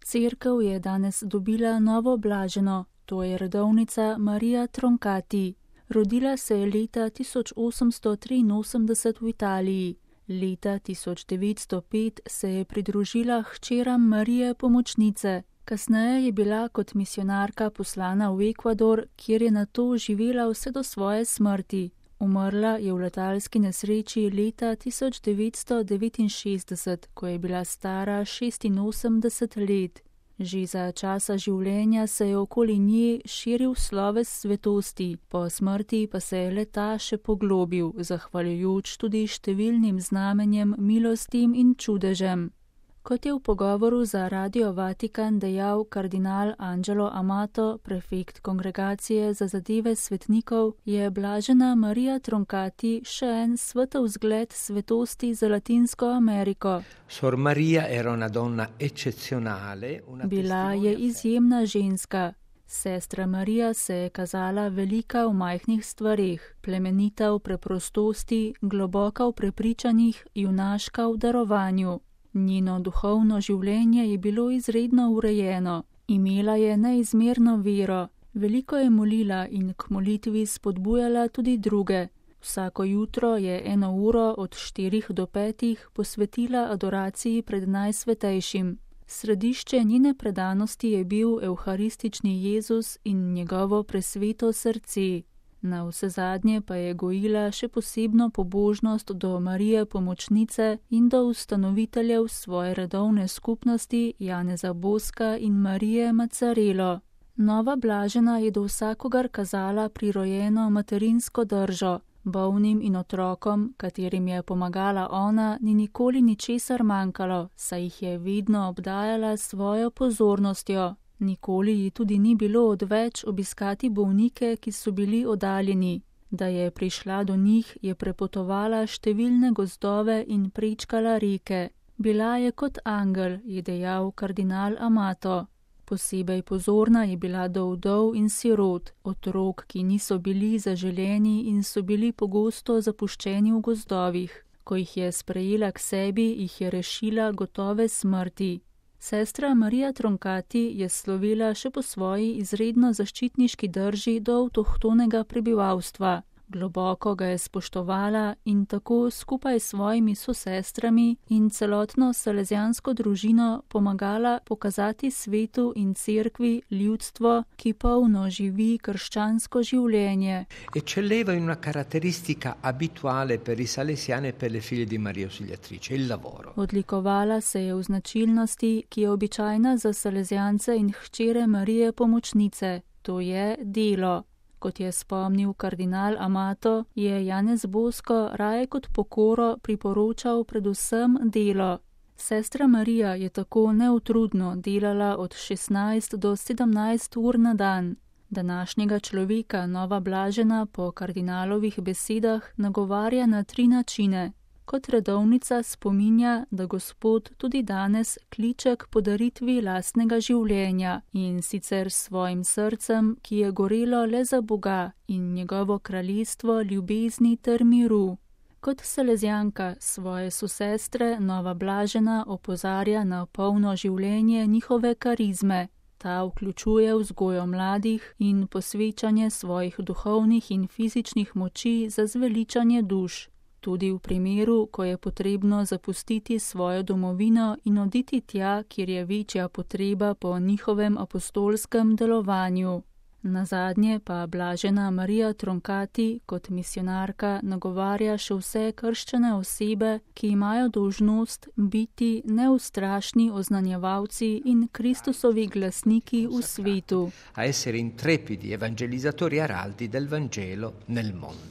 Cerkev je danes dobila novo blaženo, to je redovnica Marija Troncati. Rodila se je leta 1883 v Italiji. Leta 1905 se je pridružila hčeram Marije Pomočnice. Kasneje je bila kot misionarka poslana v Ekvador, kjer je nato živela vse do svoje smrti. Umrla je v letalski nesreči leta 1969, ko je bila stara 86 let. Že za časa življenja se je okoli nje širil sloves svetosti, po smrti pa se je le-ta še poglobil, zahvaljujoč tudi številnim znamenjem, milostim in čudežem. Kot je v pogovoru za Radio Vatikan dejal kardinal Angelo Amato, prefekt Kongregacije za zadeve svetnikov, je blažena Marija Troncati še en svetov zgled svetosti za Latinsko Ameriko. Sor Maria era una donna eccezionale, Bila je izjemna ženska. Sestra Marija se je kazala velika v majhnih stvareh, plemenita v preprostosti, globoka v prepričanjih, junaška v darovanju. Njeno duhovno življenje je bilo izredno urejeno. Imela je neizmerno vero, veliko je molila in k molitvi spodbujala tudi druge. Vsako jutro je 1 uro od 4 do 5 posvetila adoraciji pred Najsvetejšim. Središče njene predanosti je bil evharistični Jezus in njegovo presveto srce. Na vsezadnje pa je gojila še posebno pobožnost do Marije Pomočnice in do ustanoviteljev svoje redovne skupnosti Janeza Boska in Marije Macarelo. Nova blažena je do vsakogar kazala prirojeno materinsko držo. Bolnim in otrokom, katerim je pomagala ona, ni nikoli ničesar manjkalo, saj jih je vedno obdajala s svojo pozornostjo. Nikoli ji tudi ni bilo odveč obiskati bolnike, ki so bili oddaljeni. Da je prišla do njih, je prepotovala številne gozdove in prečkala reke. Bila je kot angel, je dejal kardinal Amato. Posebej pozorna je bila do vdov in sirot, otrok, ki niso bili zaželeni in so bili pogosto zapuščeni v gozdovih. Ko jih je sprejela k sebi, jih je rešila gotove smrti. Sestra Marija Troncati je slovela še po svoji izredno zaščitniški drži do avtohtonega prebivalstva. Globoko ga je spoštovala in tako skupaj s svojimi sosestrami in celotno salezijansko družino pomagala pokazati svetu in cerkvi ljudstvo, ki polno živi krščansko življenje. Eccelleva in una caratteristica abituale per i salesiani e per le figlie di Maria Ausiliatrice, il lavoro. Odlikovala se je v značilnosti, ki je običajna za salezijance in hčere Marije Pomočnice, to je delo. Kot je spomnil kardinal Amato, je Janez Bosko raje kot pokoro priporočal predvsem delo. Sestra Marija je tako neutrudno delala od 16 do 17 ur na dan. Današnjega človeka nova blažena po kardinalovih besedah nagovarja na 3 načine. Kot redovnica spominja, da Gospod tudi danes kliče k podaritvi lastnega življenja in sicer s svojim srcem, ki je gorelo le za Boga in njegovo kraljestvo ljubezni ter miru. Kot salezijanka svoje sosestre nova blažena opozarja na polno življenje njihove karizme. Ta vključuje vzgojo mladih in posvečanje svojih duhovnih in fizičnih moči za zveličanje duš. Tudi v primeru, ko je potrebno zapustiti svojo domovino in oditi tja, kjer je večja potreba po njihovem apostolskem delovanju. Nazadnje pa blažena Marija Troncati kot misionarka nagovarja še vse krščene osebe, ki imajo dolžnost biti neustrašni oznanjevalci in Kristusovi glasniki v svetu. A essere intrepidi evangelizzatori araldi del Vangelo nel mondo.